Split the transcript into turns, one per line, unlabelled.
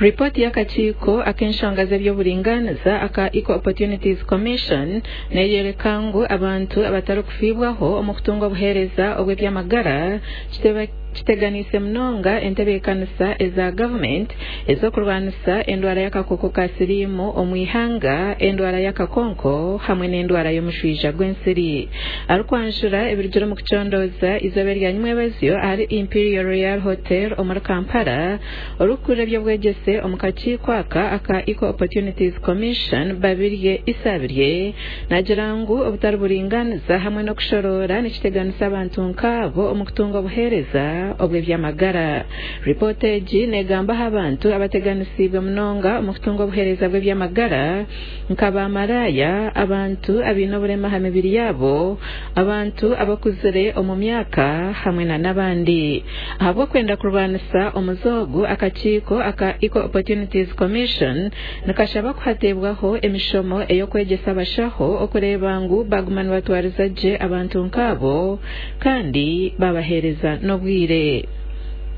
Ripooti y'akakiiko ak'enshonga z'eby'oburingaaniza aka Equal Opportunities Commission neyoreka ngu abantu abatarikufiibwaho omu kutunga obuheereza obw'eby'amagara kiteganiise munonga entebeekanisa eza gavumenti ez'okurwanisa endwara y'akakooko ka siriimu omu ihanga, endwara y'akakonko hamwe n'endwara y'omushwija gw'ensiri. Arikwanjura ebirugire omu kucondooza eizooba erya nyimwebazyo ahari Imperial Royal Hotel omuri Kampala, orikukurira eby'obwegyese omu kakiiko aka aka Equal Opportunities Commission, Babirye Isabirye naagira ngu obutari buringaaniza hamwe n'okushoroora nikiteganisa abantu nk'abo omu kutunga obuheereza obw'eby'amagara. Ripoota egi neegamba aha bantu abateganisiibwe munonga omu kutunga obuheereza bw'eby'amagara nka baamaraaya, abantu abaine oburema aha mibiri yaabo, abantu abakuzire omu myaka hamwe n'abandi. Ahabw'okwenda kurwanisa omuze ogu, akakiiko aka Equal Opportunities Commission nikashaba ku hateebwaho emishomo ey'okwegyesa abashaho okureeba ngu baaguma nibatwariza gye abantu nk'abo kandi babaheereza n'obwire.